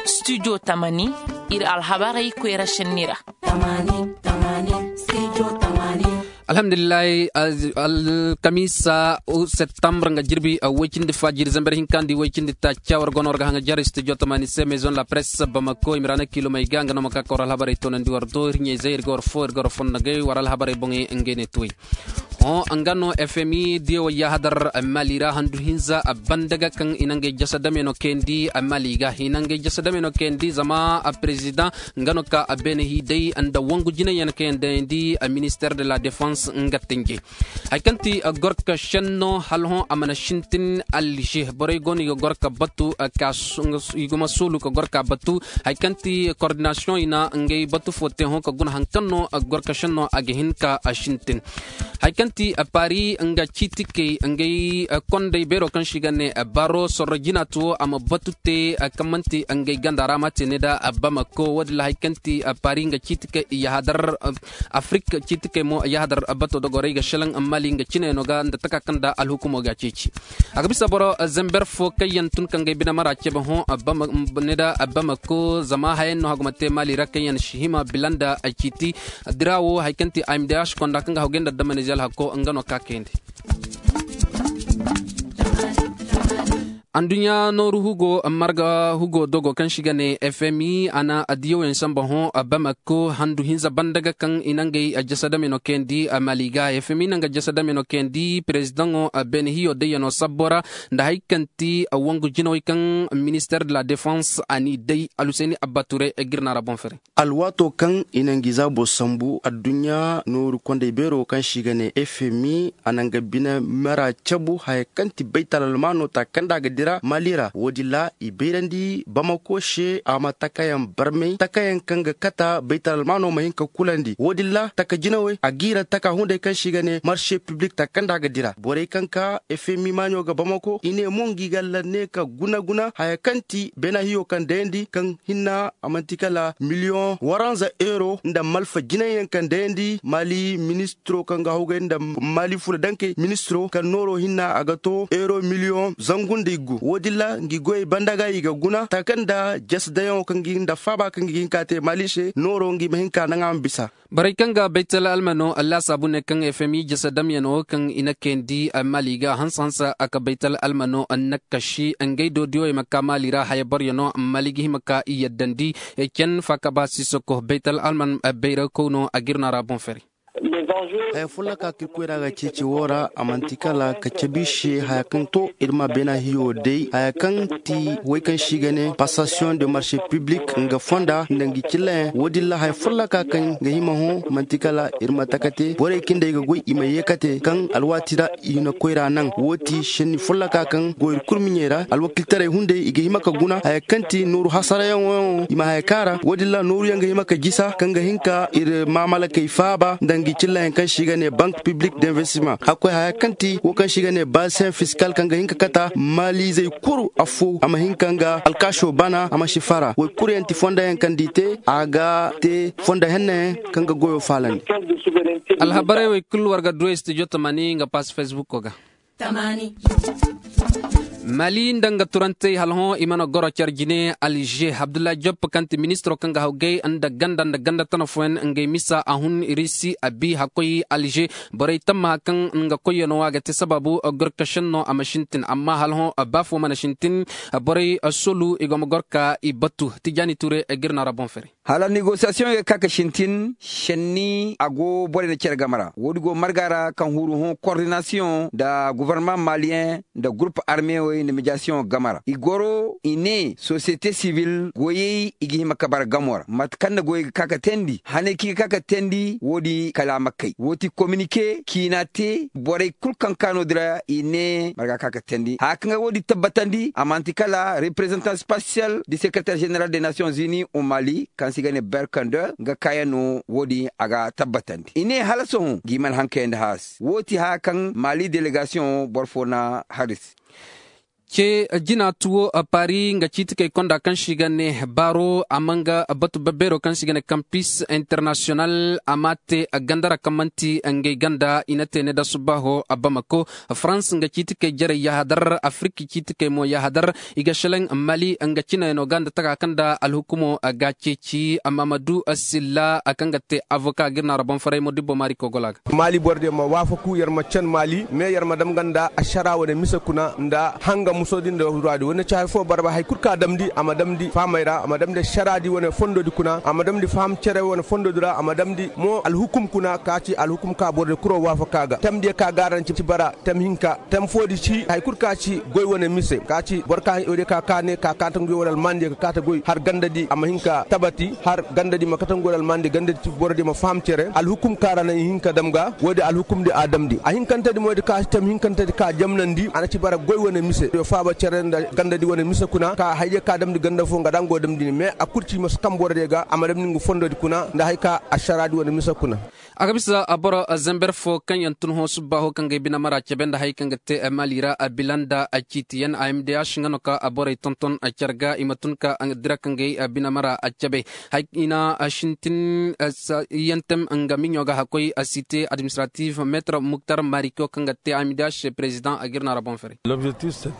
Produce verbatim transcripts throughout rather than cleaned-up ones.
Studio tamani, iri alhabarey koyra senni ra. Alhamdulillahi. Alkamiisa, septembre nga jirbi way-cindi fa jiiri zamber hinka nda way-cindi taaca war go no war ga haŋ ga jare studio tamani se maison la presse bamako i ma ra na kiilomey ga nga no ma ka ka war alhabarey toonandi war do iri ɲayzey iri ga war fo iri ga war fondogey war alhabarey boŋey ngey ne tuwey. Hõ nga no fmi diya wo yaahadar mali ra handu hinza banda ga kaŋ i na ngey jasa dame no kayandi mali ga i na ngey jasa dame no kayandi zama president nga no ka beene hi day nda wangu jinay yaŋ kaŋ yaŋ dayandi minister de la defense nga tinje. Hari kaŋ ti gorka senno hala hõ a mana sintin alger borey go no i ga gorka batu ka i ga ma soolu ka gorka batu. Hari kaŋ ti coordination i na ngey batu fo te hõ ka guna hari kaŋ no gorka senno a ga hin ka sintin. Hari kaŋ ti paris nga ciitikey ngey kondey beero kaŋ se i ga ne baro sorro jina tuwo a ma batu te kaŋ manti ngey ganda ra ma te ne nda bamako wo- din ra hari kaŋ ti paris nga ciitikey i yahadar afrik ciitikey mo yahadar bato dogorey ga selaŋ mali nga cine no ga nda taka kaŋ nda alhukumo ga ceeci. A ga bisa boro zamber fo kaŋ yaŋ tun ka ngey bine mara cabe hõ ne nda bamako zama haya yaŋ no hagu ma te mali ra kaŋ yaŋ si hima bila nda ciiti dira wo hari kaŋ ti amdh konda kaŋ ga hagu gay nda damanize alhakko nga no ka kayandi. Anduɲɲa nooru hugo marga hugo dogo kaŋ se i ga ne fmi a na diyaw yaŋ samba hõ bamako handu hinza banda ga kaŋ i na ngey jasa dame no kayandi mali ga fmi na nga jasa dame no kayandi perezidaŋo beene hiyo dayyano sabbo ra nda hari kaŋ ti wangu jinawey kaŋ minister de la defense a n'i day alhusayni abba ture ga iri no a ra boŋ fere. Alwaato kaŋ i na ngi zaabo sambu adduɲɲa nooru kondey beero kaŋ se i ga ne fmi a na nga bine mera cabu haya kaŋ ti baytal almaano ta kaŋ nda a ga dira mali ra wo- din ra i bayrandi bamako se a ma takayaŋ barmay takayaŋ kaŋ ga kata baytal almaano ma hin ka kulandi wo- din ra taka jinawey a g'i ra taka hunday kaŋ se i ga ne marse piblik ta kaŋ nda a ga dira borey kaŋ ka fmi maaɲo ga bamako i ne mo ngi ga lanne ka guna guna haya kaŋ ti beena hiyo kaŋ dayandi kaŋ hinna a manti kala miliyoŋ waranza euro nda malfa jinay yaŋ kaŋ dayandi mali ministiro kaŋ ga hawgay nda mali fula dankey ministiro kaŋ nooro hinna a ga to euro miliyoŋ zangu nda iggu wo- din ra ngi goyey banda ga i ga guna taka nda jasi dayaŋo kaŋ ga hin nda faaba kaŋ ga hin ka te mali se nooro ngi ma hin ka naŋ a ma bisa. Borey kaŋ ga baytal almano laasaabu ne kaŋ fmi jasa damyano kaŋ i na kayandi mali ga hanse hanse a ka baytal almano nakkashi ngey do diyoy ma ka mali ra haya boryaŋo mali ga hima ka i yaddandi. Cen faakaba sisoko baytal alman bayra kawno a ga iri no a ra boŋ fere. Haya folloka kaŋ iri koy ra ga ceeci wo ra a manti kala ka cabe iri se haya kaŋ to iri ma beena hiyo day haya kaŋ ti way kaŋ se i ga ne passation de marché public nga fonda nda ngi cillayaŋ wo- din ra haya folloka kaŋ ga hima hõ manti kala iri ma taka te borey kaŋ day ga goy i ma ye ka te kaŋ alwaati ra i na koyra naŋ wo ti senni folloka kaŋ go iri kulu miɲey ra alwakiltaray hunday i ga hima ka guna haya kaŋ ti nooru hasarayaŋo yaŋo i ma haya kaara wo- din ra nooru yaŋ ga hima ka jisa kaŋ ga hin ka iri maamalakey faaba nda ngi cillayaŋ kaŋ se i ga ne bank public d'investissement hakkoy haya kaŋ ti wo kaŋ se i ga ne bassin fiscal kaŋ ga hin ka kata maalizey kulu afo a ma hin ka nga alkaaso bana a ma si fara wo- kulu yaŋ ti fonda yaŋ kaŋ da i te a ga te fonda henna yaŋ kaŋ ga goyo faalandi. Alhabarey wo i kulu war ga du ay studio tamani nga pass facebook ga. Mali nda nga turantey hala hõ i mana goro care jine alger abdullahi joppe kaŋ ti ministiro kaŋ ga hawgay nda ganda nda ganda tana fooyaŋ ngey misa a hun risi a bi hakkoy alger borey tammaha kaŋ nga koyyaŋo a ga te sabaabu gorkasenno a ma sintin amma hala hõ baafo mana sintin borey solu i go ma goro ka i batu tijaani tuure ga iri no a ra boŋ fere. Hala negosiyasiyoŋey ga ka ga sintin senni a go borey nda care game ra wo- din go marga ra kaŋ huru hõ kordinasiyoŋ nda gofornama maliyeŋ nda gurup armewey nda mediyasiyoŋ game ra i goro i ne sosiyete sibil goyey i ga hima ka bara gamo ra mate kaŋ nda goyey ga ka ga teendi haney kaŋ i ga ka ga teendi wo- din kala a ma kay wo- ti kominike ciina te borey kulu kaŋ ka no- din ra i ne marga ka ga teendi haya kaŋ ga wo- din tabbatandi a manti kala reprezantan spasiyal di sekereter zeneral de nasiyoŋ zini o mali kaŋ se i ga ne berkande nga kaayaŋ no wo- din a ga tabbatandi i ne hala sohõ ngi mana haŋ kayandi haasi wo- ti haya kaŋ mali delegasiyoŋ boro fo na hari se. Ce jina tuwo paris nga ciiti kay konda kaŋ se i ga ne baaro a ma nga batu babbeero kaŋ se i ga ne kampis international a ma te gandara kaŋ manti ngey ganda i na te ne da subbaaho bamako. Farans nga ciiti kay jarey yahadar afirka ciiti kay mo yahadar i ga selaŋ mali nga cinayano ga nda taka kaŋ nda alhukumo ga ceeci amma ma du silla kaŋ ga te avoka ga iri no a ra boŋ faray mo dibbo maari kogola ga. Maali boro diyaŋ ma waafaku yar ma can maali me yar ma dam ganda ašara wane mise kuna nda hanga muso din da ruwa di wane ci hari fo barba hari kulu kaŋ a damndi a ma damndi fahamay ra a ma damndi ašara di wane fondo di kuna a ma damndi faham cere wane fondo di ra a ma damndi mo alhukum kuna ka ci alhukum ka boro diyaŋ kuro waafaka ga tamndi yaŋ ka gaaranci bara tam hinka tam fo di ci hari kulu ka ci goy wane mise ka ci boro ka ne ka kaata goy wane almaani diyaŋ ka kaata goy har ganda di a ma hinka tabati har ganda di ma kataŋ goy almaani di ganda di ci boro di ma faham cere alhukum kaara naŋ i hin ka dam ga wo- din alhukum di a damndi a hinkante di mo di ka tam hinkante di ka jamnandi a na ci bara goy wane mise yo faaba cere nda ganda di wane mise kuna ka haydiya ka damndi ganda fo nga da nga go damndi ni mais a kulu ci ma si kaŋ boro diya ga a ma damndi nga fondo di kuna nda hari ka ašara di wane mise kuna. A ga bisa boro zamber fo kaŋ yaŋ tun hõ subbaaho kaŋ ga ay bine mara cabe nda hari kaŋ ga te maali ra bila nda ciiti yaŋ a m d h nga no ka borey tonton care ga i ma tun ka dira kaŋ ga ay bine mara cabe. Hay i na sintin yaŋ tem nga miɲo ga hakkoy site administratif metre muktar mariko kaŋ ga te a m d h president a ga iri no a ra boŋ fere.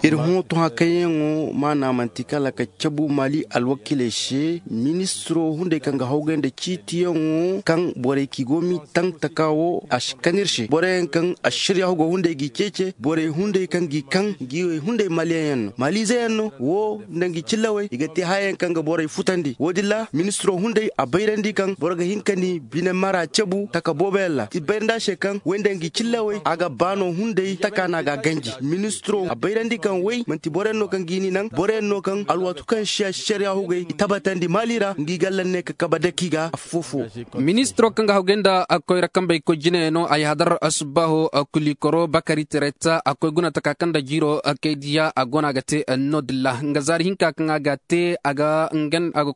Iri hõ to haŋ kaŋ yaŋo maana manti kala ka cabu maali alwakiiley se ministiro hunday kaŋ ga hawgay nda ciitiyaŋo kaŋ borey kaŋ i go m'i taŋ taka wo a si kan iri se boro yaŋ kaŋ aširyahu go hunday g'i ceece borey hunday kaŋ g'i kaŋ ngi wey hunday maliyaŋ yaŋ no maaliize yaŋ no wo nda ngi cillawey i ga te haya yaŋ kaŋ ga borey futandi wo- din ra ministiro hunday a bayrandi kaŋ boro ga hin ka ni bine mara cabu taka boobo yaŋ ra i bayrandi a se kaŋ wey nda ngi cillawey a ga baano hunday taka no a ga a ganji ministiro a bayrandi kaŋ wey manti boro yaŋ no kaŋ g'i ni naŋ boro yaŋ no kaŋ alwaatu kaŋ se a si care yaŋ hugay i tabbatandi maali ra ngi galla ne ka kabe daki ga afo fo. Ministiro kaŋ ga hawgay nda koyra kambey koy jine no ay hadar subbaaho kulikoro bakari tereta a koy guna taka kaŋ nda jiiro kay diya a go no a ga te no- din ra nga zaari hinka kaŋ a ga a te a ga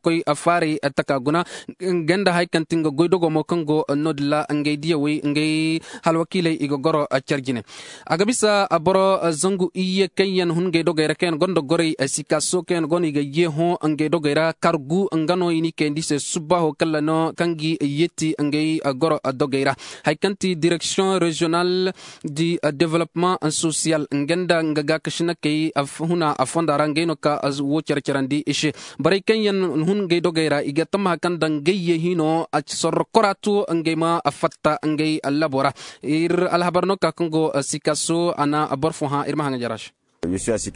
koy faaray taka guna nga nda hari kaŋ ti nga goy dogo mo kaŋ go no- din ra ngey diyawey ngey halwakiiley i ga goro care jine. A ga bisa boro zangu iyye kaŋ yaŋ hun ngey dogey ra kaŋ yaŋ gonda gorey sikaso kaŋ yaŋ go no i ga ye hõ ngey dogey ra kargu nga no i n'i kayandi se subbaaho kala no kaŋ ga yeeti ngey goro dogey ra. Hari kaŋ ti direksiyoŋ reziyonal di developpement sosiyal nga nda nga gaakasinakey huna fonda ra ngey no ka wo care carandi i se. Borey kaŋ yaŋ hun ngey dogey ra i ga tammaha kaŋ nda ngey ye hino sorro kora to ngey ma fatta ngey labo ra. Iri alhabar no ka kaŋ go sikaso a na boro fo hã iri ma haŋ jara se.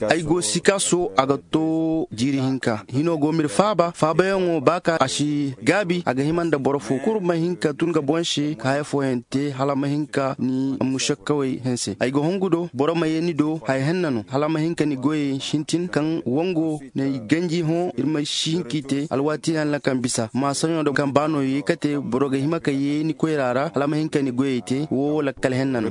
Ay go sikaso a ga to jiiri hinka hino go m'iri faaba faabayaŋo ba ka a si gaabi a ga hima nda boro fo kulu ma hin ka tun ga boŋ se ka haya fooyaŋ te hala ma hin ka ni musakkawey hanse ay ga hongu do boro ma ye ni do haya henna no hala ma hin ka ni goyey sintin kaŋ wango n'ay ganji hõ iri ma si hin k'i te alwaati yaŋ ra kaŋ bisa maasaɲo nda kaŋ ba no ye kate boro ga hima ka ye ni koyra ra hala ma hin ka ni goyey te wo lakkal henna no.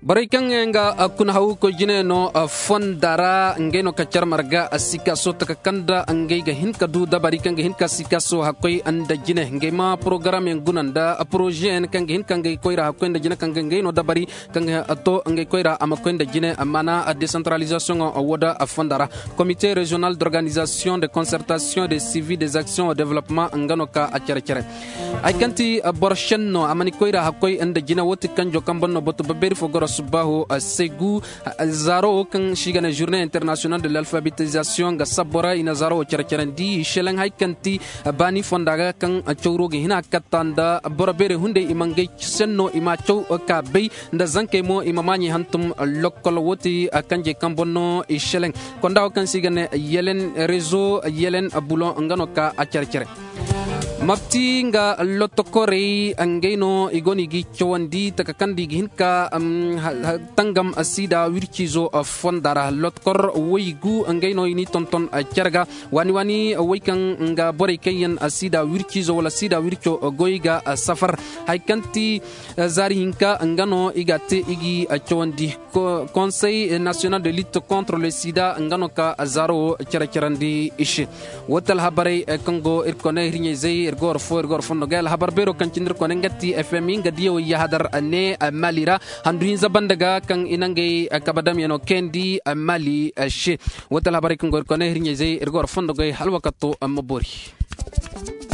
Borey kaŋ yaŋ ga kuna haw koy jine no fonda ra ngey no ka care marga sikaso taka kaŋ nda ngey ga hin ka du dabari kaŋ ga hin ka sikaso hakkoy nda jine ngey ma porogaram yaŋ guna nda poroze yaŋ kaŋ ga hin ka ngey koyra hakkoy nda jine kaŋ ga ngey no dabari kaŋ ga to ngey koyra a ma koy nda jine amma na desantaralizasiyoŋo wo da fonda ra. Komite reziyonal d'organizasiyoŋ de konsertasiyoŋ de sivi des aksiyoŋ developpement nga no ka a care care. Hari kaŋ ti boro senno a mana koyra hakkoy nda jine wo ti kanjo kaŋ boŋ no batu babbeeri fo goro subbaaho segu zaaro wo kaŋ se i ga ne journée international de l'alphabétisation ga sabbo ra i na zaaro wo care carandi i selaŋ hari kaŋ ti baani fonda ga kaŋ cawro ga hina katta nda boro beerey hunday i ma ngey senno i ma caw ka bay nda zankey mo i ma maaɲey hantum lokkol wo ti kanjey kaŋ boŋ no i selaŋ konda wo kaŋ se i ga ne yelen rezo yelen bulo nga no ka a care care. Mapti nga lottokorey ngey no i go no i ga i cawandi taka kaŋ da i ga hin ka tangam sida wirciizo fonda ra lottokor waygu ngey no i n'i tonton care ga waani waani way kaŋ nga borey kaŋ yaŋ sida wirciizo wala sida wirco goy ga safar hari kaŋ ti zaari hinka nga no i ga a te i g'i cawandi. Conseil national de lutte contre le sida nga no ka zaaro wo care carandi i se. Wo ti alhabarey kaŋ go iri kone hirɲey zay iri Goro fo iri goro fondo ga alhabar beero kaŋ cindi iri kone nga ti fmi nga diya way yahadar ne mali ra. Handu hinza banda ga kaŋ i nangey kabe damyano kayandi mali se. Wate alhabarey kaŋ go iri kone hirɲey zey iri goro fondo gay hala wakato ma boori.